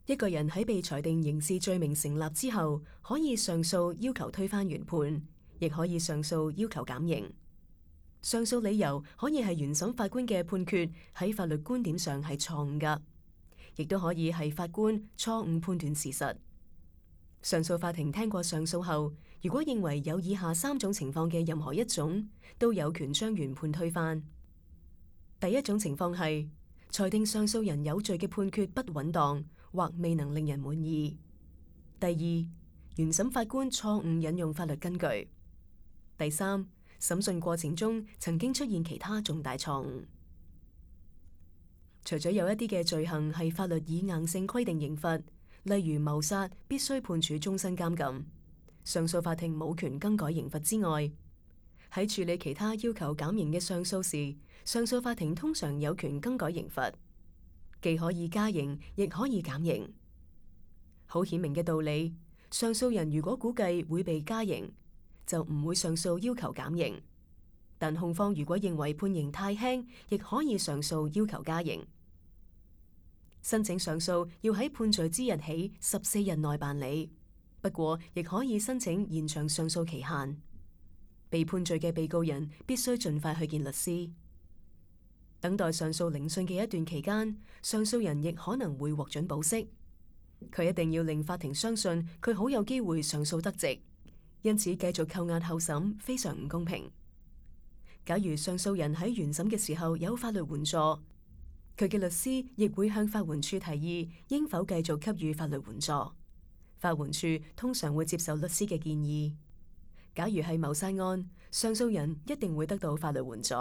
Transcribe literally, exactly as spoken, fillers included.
一個人喺被裁定刑事罪名成立之後，可以上訴要求推翻原判，亦可以上訴要求減刑。上訴理由可以係原審法官嘅判決喺法律觀點上係錯誤㗎，亦都可以係法官錯誤判斷事實。上訴法庭聽過上訴後，如果認為有以下三種情況嘅任何一種，都有權將原判推翻。第一種情況係裁定上訴人有罪嘅判決不穩當或未能令人滿意。第二，原審法官錯誤引用法律根據。第三，審訊過程中曾經出現其他重大錯誤。除咗有一啲嘅罪行係法律以硬性規定刑罰，例如謀殺必須判處終身監禁，上訴法庭冇權更改刑罰之外，喺處理其他要求減刑嘅上訴時，上訴法庭通常有權更改刑罰，既可以加刑，亦可以減刑。好顯明嘅道理，上訴人如果估計會被加刑，就唔會上訴要求減刑；但控方如果認為判刑太輕，亦可以上訴要求加刑。申請上訴要喺判罪之日起十四日內辦理，不過亦可以申請延長上訴期限。被判罪嘅被告人必須盡快去見律師。等待上訴聆訊嘅一段期間，上訴人亦可能會獲准保釋。佢一定要令法庭相信佢好有機會上訴得直，因此繼續扣押候審非常唔公平。假如上訴人喺原審嘅時候有法律援助，佢嘅律師亦會向法援處提議應否繼續給予法律援助。法援處通常會接受律師嘅建議。假如係謀殺案，上訴人一定會得到法律援助。